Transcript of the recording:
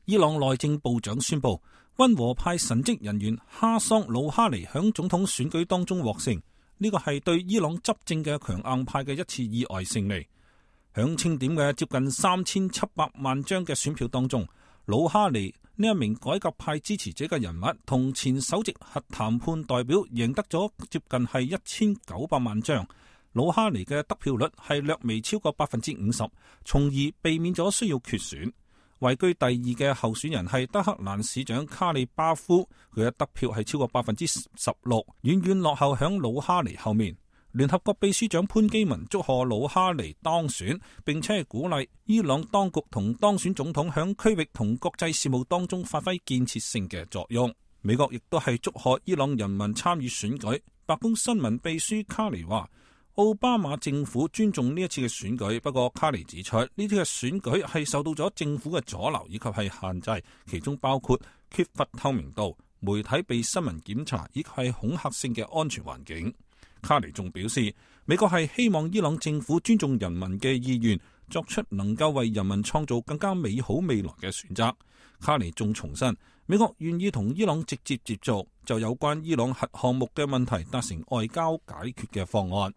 伊朗內政部長宣布，溫和派神職人員哈桑魯哈尼響總統選舉當中獲勝，呢個係對伊朗執政嘅強硬派嘅一次意外勝利。響清點嘅接近3700萬張嘅選票當中，魯哈尼呢一名改革派支持者嘅人物同前首席核談判代表贏得咗接近係1900萬張。魯哈尼嘅得票率係略微超過50%，從而避免咗需要決選。位居第二嘅候選人係德黑蘭市長卡利巴夫，佢嘅得票係超過16%，遠遠落後響魯哈尼後面。聯合國秘書長潘基文祝賀魯哈尼當選，並且係鼓勵伊朗當局同當選總統響區域同國際事務當中發揮建設性嘅作用。美國亦都係祝賀伊朗人民參與選舉。白宮新聞秘書卡尼話，奧巴馬政府尊重呢一次嘅選舉，不過卡尼指出，呢啲嘅選舉係受到咗政府嘅阻撓以及係限制，其中包括缺乏透明度、媒體被新聞檢查以及係恐嚇性嘅安全環境。卡尼仲表示，美國係希望伊朗政府尊重人民嘅意願，作出能夠為人民創造更加美好未來嘅選擇。卡尼仲重申，美國願意同伊朗直接接觸，就有關伊朗核項目嘅問題達成外交解決嘅方案。